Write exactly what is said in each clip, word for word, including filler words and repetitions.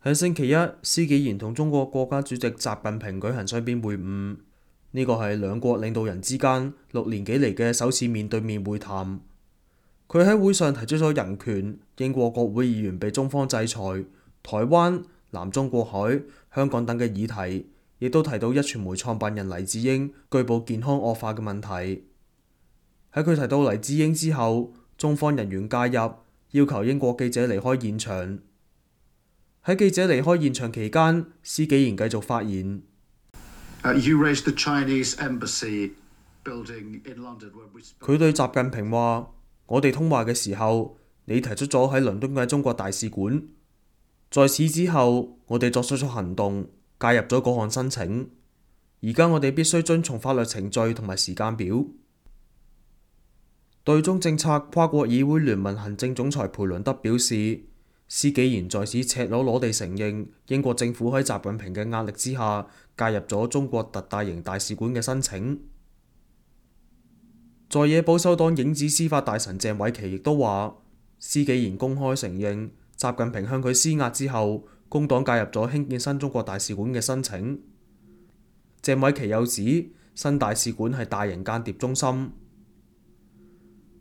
喺星期一，施紀賢同中國國家主席習近平舉行雙邊會晤，呢個係兩國領導人之間六年幾嚟嘅首次面對面會談。佢喺會上提出咗人權、英國國會議員被中方制裁、台灣、南中國海、香港等嘅議題，亦都提到壹傳媒創辦人黎智英據報健康惡化嘅問題。喺佢提到黎智英之後，中方人員介入，要求英國記者離開現場。喺記者離開現場期間，施紀賢繼續發言。佢對習近平話：我哋通話嘅時候，你提出咗喺倫敦嘅中國大使館。在此之後，我哋作出咗行動，介入咗嗰項申請。而家我哋必須遵從法律程序同埋時間表。對中政策跨國議會聯盟行政總裁裴倫德表示，施紀賢在此赤裸裸地承認英國政府喺習近平嘅壓力之下介入咗中國特大型大使館嘅申請。在野保守黨影子司法大臣鄭偉琪亦都話，施紀賢公開承認習近平向佢施壓之後，工黨介入咗興建新中國大使館嘅申請。鄭偉琪又指新大使館係大型間諜中心。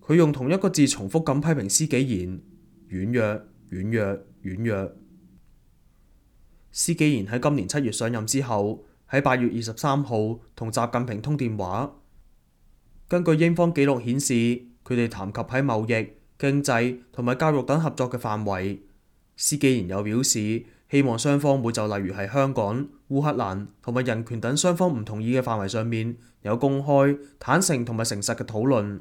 佢用同一個字重複咁批評施紀賢軟弱、軟弱、軟弱。施紀賢喺今年七月上任之後，喺八月二十三號同習近平通電話。根據英方記錄顯示，佢哋談及喺貿易、經濟同埋教育等合作嘅範圍。施紀賢又表示，希望雙方會就例如係香港、烏克蘭同埋人權等雙方唔同意嘅範圍上面有公開、坦誠同埋誠實嘅討論。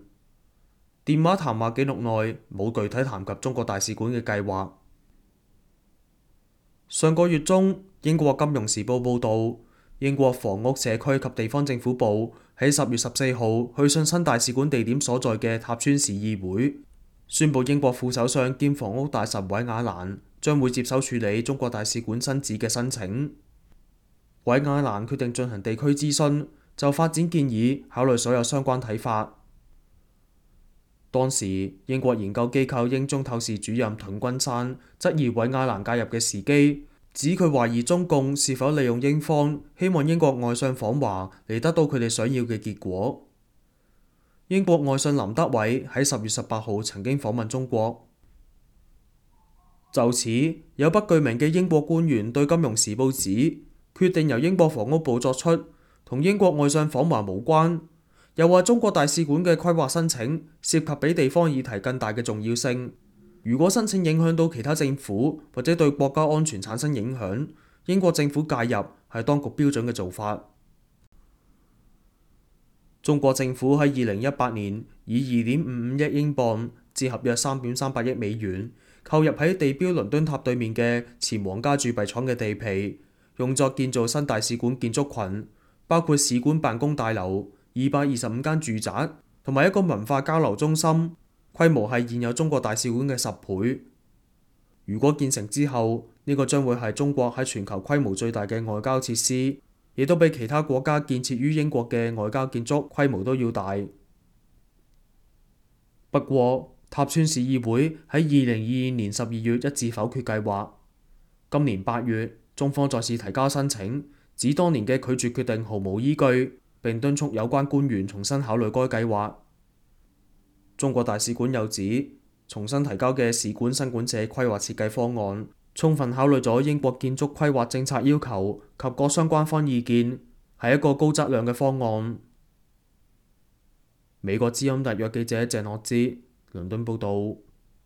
電話談話記錄內冇具體談及中國大使館嘅計劃。上個月中，英國金融時報報導，英國房屋社區及地方政府部喺十月十四號去信新大使館地點所在嘅塔川市議會，宣布英國副首相兼房屋大臣韋亞蘭將會接手處理中國大使館新址嘅申請。韋亞蘭決定進行地區諮詢，就發展建議考慮所有相關睇法。當時，英國研究機構英中透視主任盾君山質疑韋亞蘭介入嘅時機，指佢懷疑中共是否利用英方希望英國外相訪華嚟得到佢哋想要嘅結果。英國外相林德偉喺十月十八號曾經訪問中國。就此，有不具名嘅英國官員對《金融時報》指，決定由英國房屋部作出，同英國外相訪華無關。又話中國大使館嘅規劃申請涉及比地方議題更大嘅重要性。如果申請影響到其他政府或者對國家安全產生影響，英國政府介入係當局標準嘅做法。中國政府喺二零一八年以二點五五億英鎊折合約三點三八億美元購入喺地標倫敦塔對面嘅前皇家鑄幣廠嘅地皮，用作建造新大使館建築群，包括使館辦公大樓、二百二十五間住宅同埋一個文化交流中心，規模係現有中國大使館嘅十倍。如果建成之後，呢個將會係中國喺全球規模最大嘅外交設施，亦都比其他國家建設於英國嘅外交建築規模都要大。不過，塔川市議會喺二零二二年十二月一致否決計劃。今年八月，中方再次提交申請，指當年嘅拒絕決定毫無依據，並敦促有關官員重新考慮該計劃。中國大使館又指，重新提交嘅使館新館舍規劃設計方案，充分考慮咗英國建築規劃政策要求及各相關方意見，係一個高質量嘅方案。美國之音特約記者鄭樂之倫敦報導。